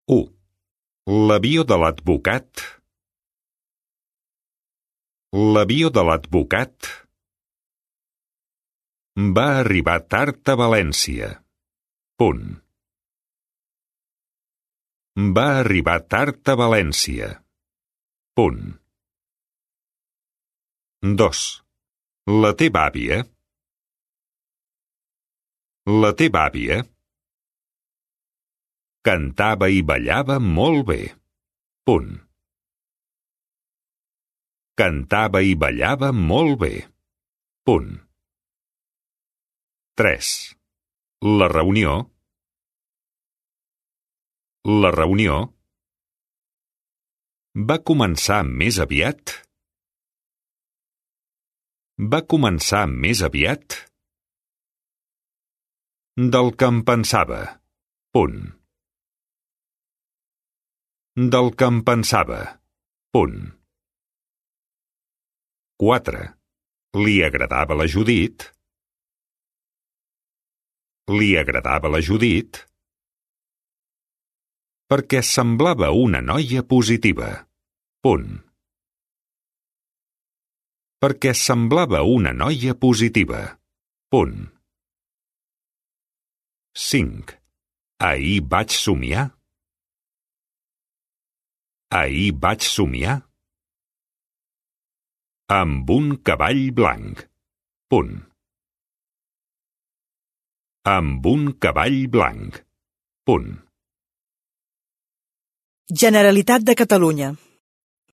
1. L'avió de l'advocat. L'avió de l'advocat va arribar tard a València. Punt. Va arribar tard a València. Punt. 2. La teva àvia. La teva àvia cantava i ballava molt bé. Punt. Cantava i ballava molt bé. Punt. 3. La reunió. La reunió va començar més aviat. Va començar més aviat del que em pensava. Punt. Del que em pensava. Punt. 4. Li agradava la Judit. Li agradava la Judit perquè semblava una noia positiva. Punt. Perquè semblava una noia positiva. Punt. 5. Ahir vaig somiar. Ahir vaig somiar amb un cavall blanc. Punt. Amb un cavall blanc. Punt. Generalitat de Catalunya.